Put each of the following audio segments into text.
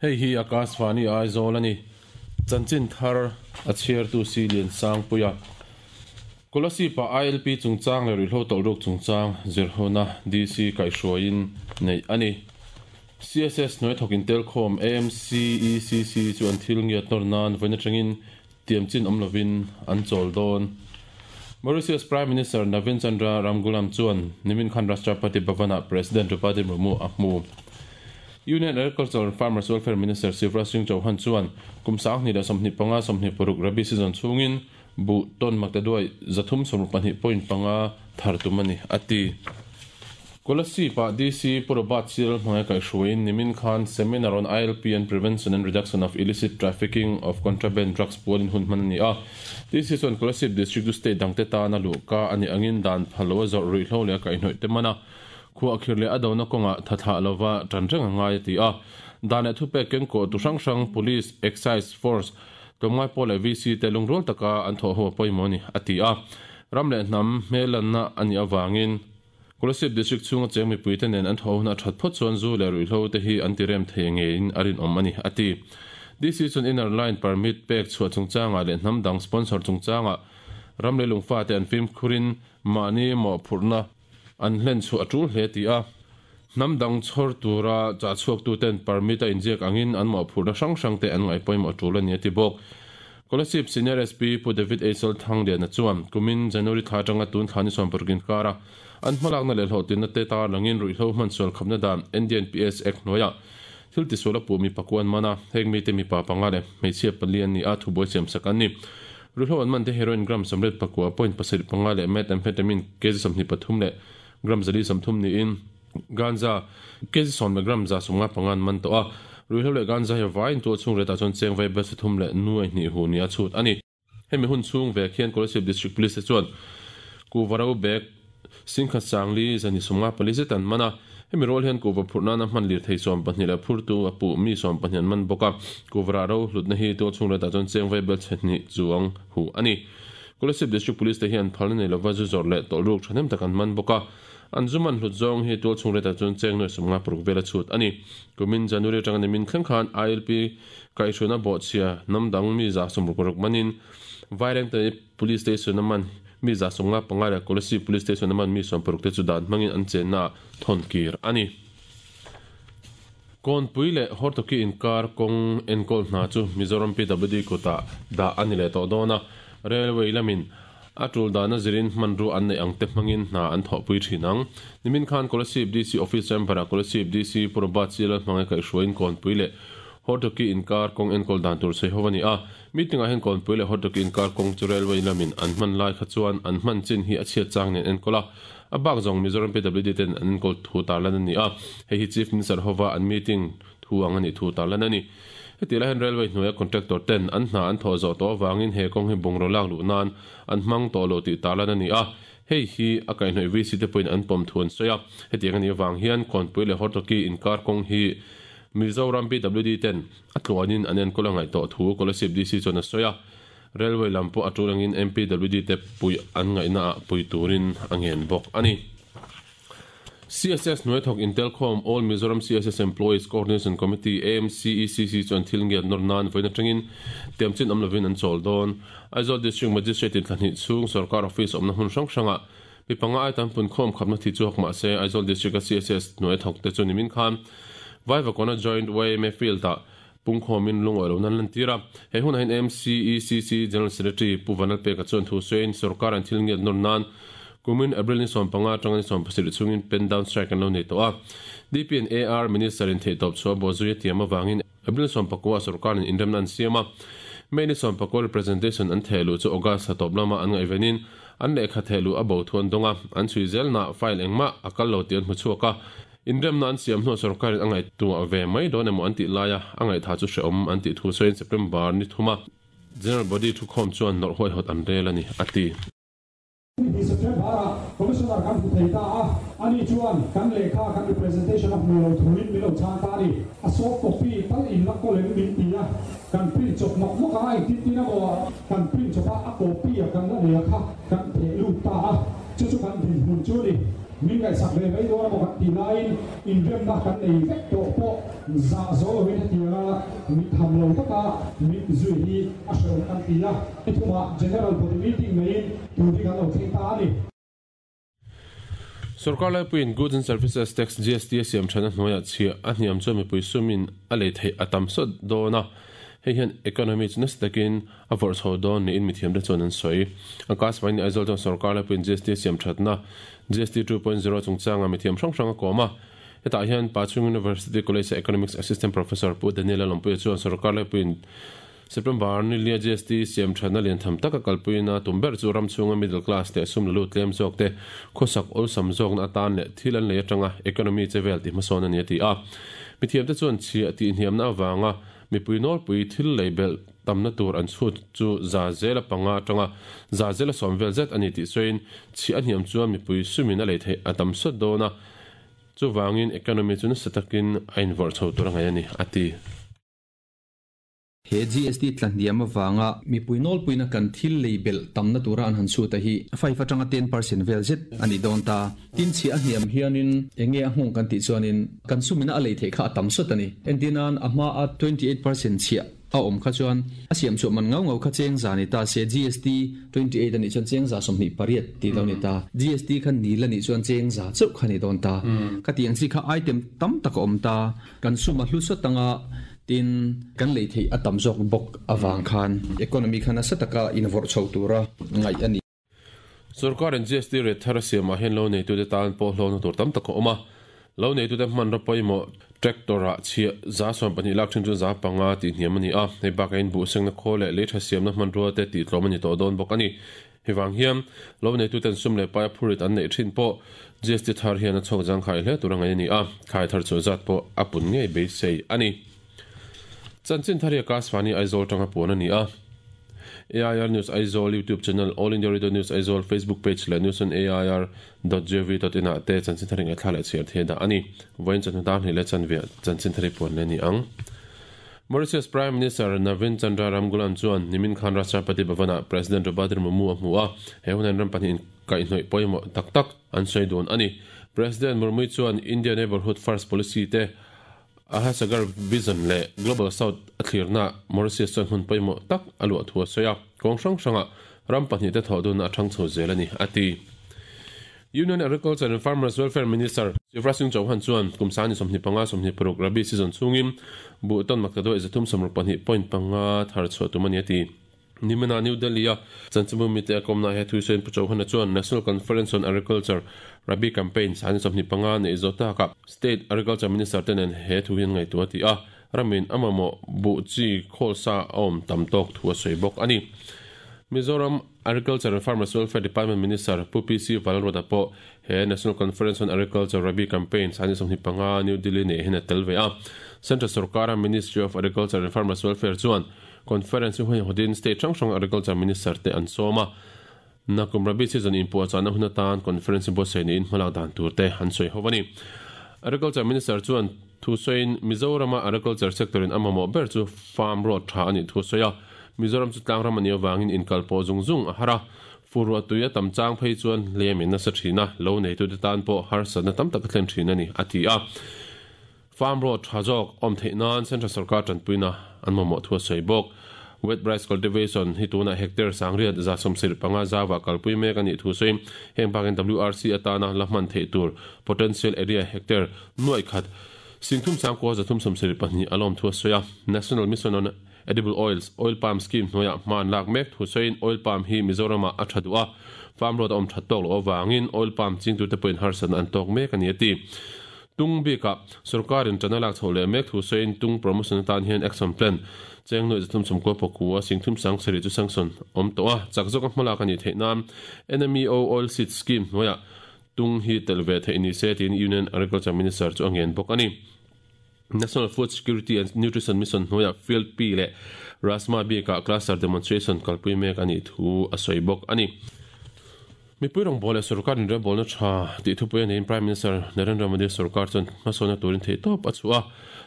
Hei hi Akashvani Aizawl a ni. Chanchin thar a chhiartu si Liansangpuia. Kolasib-ah ILP chungchang leh ruihhlo tawlhruk chungchang zirhona DC kaihhruaiin neih a ni. CSS hnuai thawk intelkhawm AMCECC chu an thil ngiat nawr nan vawiin atangin tiam chin awm lovin an chawl dawn. Mauritius Prime Minister Navin Chandra Ramgoolam chuan nimin khan Rashtrapati Bhavan-ah President Draupadi Murmu a hmu. Union Agriculture and Farmers Welfare Minister Shivraj Singh Chauhan chuan kum 2025 26 Rabi season chhungin buh tawn maktaduai 362.5 thar tum a ni, a ti. Kolasib-ah DC Pu Robert Chil hmangaih kaihhruaiin nimin khan Seminar on ILP and Prevention and Reduction of Illicit Trafficking of Contraband Drugs pualin hun hman a ni a. DC chuan Kolasib District chu state dangte tana luhka a nih angin dan phal loa zawrh ruihhlo leh a kaihhnawih te mana khuahkhirh leh a dona kawngah tha thlah lova tan reng a ngai a ti a. Dan leh thupek kengkawh tu hrang hrang Police, Excise Force, Tlawmngai pawh leh VC te lungrual taka an thawh ho a pawimawh a ni, a ti a. Ram leh hnam hmellanna a nih avangin Kolasib District chhunga cheng mipuite nen an thawh huna that phawt chuan zu leh ruihhlo te hi an ti rem thei ngeiin a rinawm a ni, a ti. DC chuan Inner Line Permit pek chhuah chungchangah leh hnam dang sponsor chungchangah ram leh lungfate an fimkhurin mahni mawhphurhna an hlen chhuah a tul hle ti a. Hnam dang chhawr tura chah chhuaktuten permit a inziak angin an mawhphurhna hrang hrangte an ngaih pawimawh tul a ni a ti bawk. Kolasib Senior SP Pu David Eisel Thangliana chuan kumin January thla atanga tun thla ni 60 inkara an hmalakna leh hlawhtlinna te tarlangin ruihhlo hmansual khapna dan NDNPS Act hnuaiah thil tisual a puh mi pakua an man a, heng mite mipa panga leh hmeichhia pali an ni a, thubuai siamsak an ni. Ruihhlo an man te heroin gram 89.75 leh methamphetamine kg 23 leh gram 430 niin ganja kg 10 leh gram 155 an man tawh a. Ruihhlo leh ganja hi vaiin tual chhung retah chuan cheng vai bel 3 leh nuai hnih hu nia chhut a ni. Hemi hun chhung vek hian Kolasib District Police te chuan kuhva ro bag singkhat sangli zani 54 zet an man a. Hemi rual hian kuhva phurh nana hman lirthei 12 leh phurtu a puh mi 12 an man bawk a. Kuhva rah ro hlutna hi tual chhung retah chuan cheng vai bel chhe hnih chuang hu a ni. Kolasib District Police te hian phalna nei lova zu zawrh leh tawlh ruk thahnem tak an man bawk a. An zu man hlut zawng hi tual chhung retah chuan cheng nuai 56 vel a chhut a ni. Kumin January atanga nimin thleng khan ILP kaihhruaina bawhchhia hnam dang mi 66 manin Vairengte Police Station a man mi 95 leh Kolasib Police Station a man mi 60 te chu dan hmangin an chenna ah thawn kir a ni. Kawnpui leh Hortoki inkar kawng enkawl hna chu Mizoram PWD kutah dah a ni leh tawh dawn a, Railway lamin a tul dana zirin hmanrua an neih ang te hmangin hna an thawhpui thin ang. Nimin khan Kolasib DC Office Chamber-ah Kolasib DC Pu Robert Chilal hmangaih kaihhruaiin Kawnpui leh Hortoki inkar kawng enkawl dan tur sawi ho a ni a. Meeting-ah hian Kawnpui leh Hortoki inkar kawng chu Railway lamin an hman lai kha chuan an hman chin hi a chhiat chang nen enkawl a, a bak zawng Mizoram PWD ten an enkawl thu tarlan a ni a. Hei hi Chief Minister hova an meeting thu ang a nih thu tarlan a ni. Heti lai hian Railway hnuaia contractor ten an hna an thawh zawh tawh avangin he kawng hi bungraw lak luh nan an hmang tawh lo tih tarlan a ni a, hei hi a kaihhnawih VC te pawhin an pawm thu an sawi a. Hetiang a nih avang hian Kawnpui leh Hortoki inkar kawng hi Mizoram PWD ten a tluanin an enkawl a ngaih tawh thu Kolasib DC chuan a sawi a. Railway lam pawh a tul angin MPWD te pui an ngaihna ah pui turin a ngen bawk a ni. CSS hnuai thawk intelkhawm All Mizoram CSS Employees Coordination Committee, AMCECC, chuan thil ngiat nawr nan vawiin atangin tiamchin awm lovin an chawl dawn. Aizawl District Magistrate in thla hnih chhung sorkar office awmna hmun hrang hrangah mi panga ai tam punkhawm khapna thi chu hawk mah se Aizawl District-a CSS hnuai thawk te chu nimin khan Vaivakawna Joint YMA Field-ah pungkhawmin lungawi lohna an lantir a. He hunah hian AMCECC General Secretary Pu Vanlalpeka chuan thu sawiin sorkar an thil ngiat nawr nan kumin April ni 15 atanga ni 17 chhungin pen down strike an lo nei tawh a. DP and AR Minister in theihtawp chhuah bawhzui a tiam avangin April 19 ah sorkarin inremna an siam a. May ni 19 representation an theh luh chu August thla tawp lama an ngaihvenin an lehkha theh luh a bo thu an dawng a, an chhui zelnaah file engmah a kal lo tih an hmu chhuak a. Inremna an siam hnuah sorkarin a ngaihtuah ve mai dawn emaw an tih laia a ngaihtha chu hrehawm an tih thu sawiin September ni thuma General Body thukhawm chuan nawrh huaihawt an rel a ni, a ti. Ni September-ah Commissioner kan hmu thei ta a, ani chuan kan lehkha kan representation a hmu lo thuin min lo chhang ta a ni. A soft copy tal in la kawl em min ti a, kan print chawp nawk nawk a, engtin tin emaw kan print chawp a, a copy a kan la nei a kha kan theh lut ta a, chu chu kan dinhmun chu a ni. Min ngaihsak ve mai dawn emaw kan tih laiin inremna kan nei vek tawh pawh zah zo loin hetianga mit tham lo taka min ti zui hi a hrehawm kan ti a. Ni thumah General Body Meeting neiin tur hi kan lo thleng ta a ni. Sorkar laipuiin Goods and Services Tax, GST, a siam than a hnuaiah chhiah a hniam chuan mipui sumin a lei theih a tam sawt dawn a, hei hian economy chu nasa takin a vawrh chho dawn niin mithiamte chuan an sawi. Akashvani Aizawl chuan sorkar laipuiin GST a siam thatna GST 2.0 chungchanga mithiam hrang hrang a kawm a. Hetah hian Pachung University College-a Economics Assistant Professor Pu Daniel-a Lawmpuia chuan sorkar laipuiin September ni lia GST siam thatna lian tham taka kalpuina tum ber chu ram chhunga middle class leh sum la lut tlem zawk te khawsak awlsam zawkna atan leh thil an lei atanga economy che vel tih hmasawn a ni a ti a. Mithiamte chuan chhiah tihhniamna avanga mipui nawlpui thil lei belh tamna tur an chhut chu 5% atanga 120% vel zet a ni tih sawiin chhiah a hniam chuan mipui sumin a lei theih a tam sawt dawn a, chuvangin economy chu nasa takin a invawrh chho tur a ngaih a ni a ti. He GST tla hniam avanga mipui nawlpuina kan thil lei belh tamna tura an han chhut a hi five atanga 10% vel zet a ni dawn ta. Tin chhiah a hniam hianin eng nge a nghawng kan tih chuanin kan sumina a lei theih kha a tam sawt a ni. Entirnan a hmaa 28% chhiah a awm kha chuan a siam chhuah man ngau ngau kha cheng za ni ta se GST 28 a nih chuan cheng 28% tih lo ni ta. GST kha nil a nih chuan cheng za chauh kha ni dawn ta. Khatiang chi kha item tam tak a awm ta. Kan sum a hlu sawt anga tin kan lei theih a tam zawk bawk avang khan economy kha nasa taka invawrh chho tura ngaih a ni. Sorkarin GST rate thar a siamah hian lo neitute tan pawh hlawkna tur tam tak a awm a. Lo neitute hmanraw pawimawh tractor-ah chhiah 12% lak thin chu 5% tih hniam a ni a. Hei bakah in buhsengna khawl leh lei tha siamna hmanrua te tih tlawm a ni tawh dawn bawk a ni. Hei vang hian lo neituten sum leh pai a phurit an neih thin pawh GST thar hian a chhawk zangkhai hle tur a ngaih a ni a, thlai thar chhuah zat pawh a pun ngei beisei a ni. Chanchin thar hi Akashvani Aizawl tanga puan a ni a. AIR News Aizawl YouTube channel, All India Radio News Aizawl Facebook page leh News on AIR dot gov dot in ah te chanchin thar hi ngaihthla leh chhiar thei dah a ni. Vawiin chawhnu dar hnih leh chanve chanchin thar hi puan leh a ni ang. Mauritius Prime Minister Navin Chandra Ramgoolam chuan nimin khan Rashtrapati Bhavan-ah President Draupadi Murmu a hmu a, he hunan ram pahnihin kaihhnawih pawimawh tak tak an sawi dun a ni. President Murmu chuan India Neighbourhood First Policy te Ahasagar Vision leh Global South a thlirnaah Mauritius chuan hmun pawimawh tak a luah thu a sawi a, kawng hrang hrangah ram pahnihte thawh dunna a thang chho zel a ni, a ti. Union Agriculture and Farmers Welfare Minister Shivraj Singh Chauhan chuan kum sani 25 26 Rabi season chhungin buh tawn maktaduai 362.5 thar chhuah tum a ni a ti. Nimina New Delhi-a chanchinbu mite a kawmnaah he thusawiin Pu Chauhan-a chuan National Conference on Agriculture Rabi Campaign sani 25 neih zawh takah State Agriculture Minister te nen he thu hi an ngaihtuah a ti a, ramin a mamawh buh chi khawl sa a awm tam tawk thu a sawi bawk a ni. Mizoram Agriculture and Farmers Welfare Department Minister Pu PC Vanlalruata pawh he National Conference on Agriculture Rabi Campaign sani 25 New Delhi neih hian a tel ve a. Central sorkara Ministry of Agriculture and Farmers Welfare chuan Conference hi huaihawtin state hrang hrang Agriculture Minister te an sawm a. Nakum Rabi season inpuahchahna hun atan Conference hi buatsaih niin hmalak dan tur te an sawi ho a ni. Agriculture Minister chuan thu sawiin Mizorama Agriculture sector in a mamawh ber chu farm road tha a nih thu a sawi a. Mizoram chu tlangram a nih avangin inkal pawh zung zung a har a, fur tui a tam chang phei chuan hliamin nasa thin a, lo neitute tan pawh harsatna tam tak a thlen thin a ni, a ti a. Farm road tha zawk awm theih nan Central sorkar tanpuina an mamawh thu a sawi bawk. Wet rice cultivation hi tunah hectare 175% zauah kalpui mek a nih thu sawiin heng bakin WRC atana la hman theih tur potential area hectare nuaih khat 39,372 a lawm thu a sawi a. National Mission on Edible Oils, Oil Palm Scheme hnuaiah hma an lak mek thu sawiin Oil Palm hi Mizoramah a tha duh a, farm road a awm that tawk loh avangin Oil Palm chingtute pawhin harsatna an tawk mek a ni a ti. Tung bikah sorkarin ṭan a lak chhoh leh mek thu sawiin tung promotion atan hian action plan cheng nuaih 390 pakua 37,000 chu sanction awm tawh a, chak zawka hmalak a nih theih nan NMEO Oil Seed Scheme hnuaiah tung hi telh ve theih ni se tiin Union Agriculture Minister chu a ngen bawk a ni. National Food Security and Nutrition Mission hnuaiah Field Pea leh Rajma bikah cluster demonstration kalpui mek a nih thu a sawi bawk a ni. Mipui rawngbâwl leh sorkar inrelbâwlna ṭha tih thupui a neiin Prime Minister Narendra Modi sorkar chuan hmasawnna turin theihtawp a chhuah a.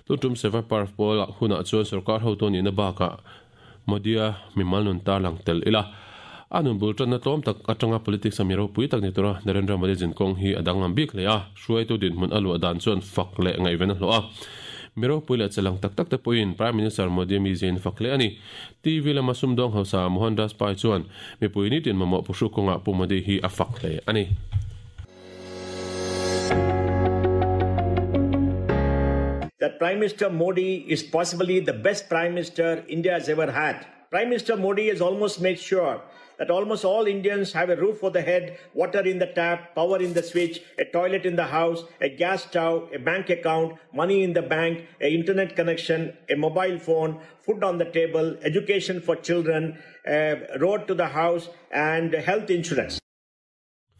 Tun ṭum Seva Parv pawlah hunah chuan sorkar hotu a nihna bakah Modi-a mimal nun tarlang tel ila. A nun bul tanna tlawm tak atanga politics a mi ropui tak ni tura Narendra Modi zinkawng hi a danglam bik hle a, hruaitu dinhmun a luah dan chuan fak leh ngaihven a hlawh a. Mi ropui leh chalang tak tak te pawhin Prime Minister Modi mi ziain fak hle a ni. TV lama sumdawng hausa Mohandas Pai chuan mipui nitin mamawh puhru kawngah Pu Modi hi a fak hle a ni. That Prime Minister Modi is possibly the best Prime Minister India has ever had. Prime Minister Modi has almost made sure that almost all Indians have a roof over the head, water in the tap, power in the switch, a toilet in the house, a gas stove, a bank account, money in the bank, an internet connection, a mobile phone, food on the table, education for children, a road to the house, and health insurance.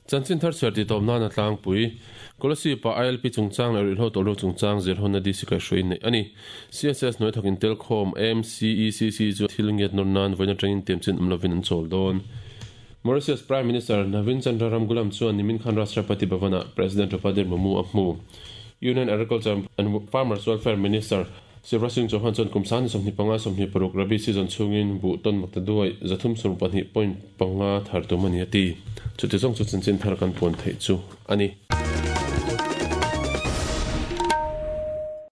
Chanchin thar chhiar tih tawp nana tlangpui, Kolasib-ah ILP chungchang leh ruihhlo tawlhruk chungchang zirhawnna DC kaihhruai neih a ni. CSS hnuai thawk intelkhawm MCECC chu thil ngiat nawr nan vawiin atangin tiamchin awm lovin an chawl dawn. Mauritius Prime Minister Navin Chandra Ramgoolam chuan nimin khan Rashtrapati Bhavan-ah President Draupadi Murmu a hmu. Union Agriculture and Farmers Welfare Minister Shivraj Singh Chauhan chuan kum sangni 25 26 Rabi season chhungin buh tawn makta duai 372 point panga thar tum a ni a ti. Chuti zawng chu chanchin thar kan puan theih chu a ni.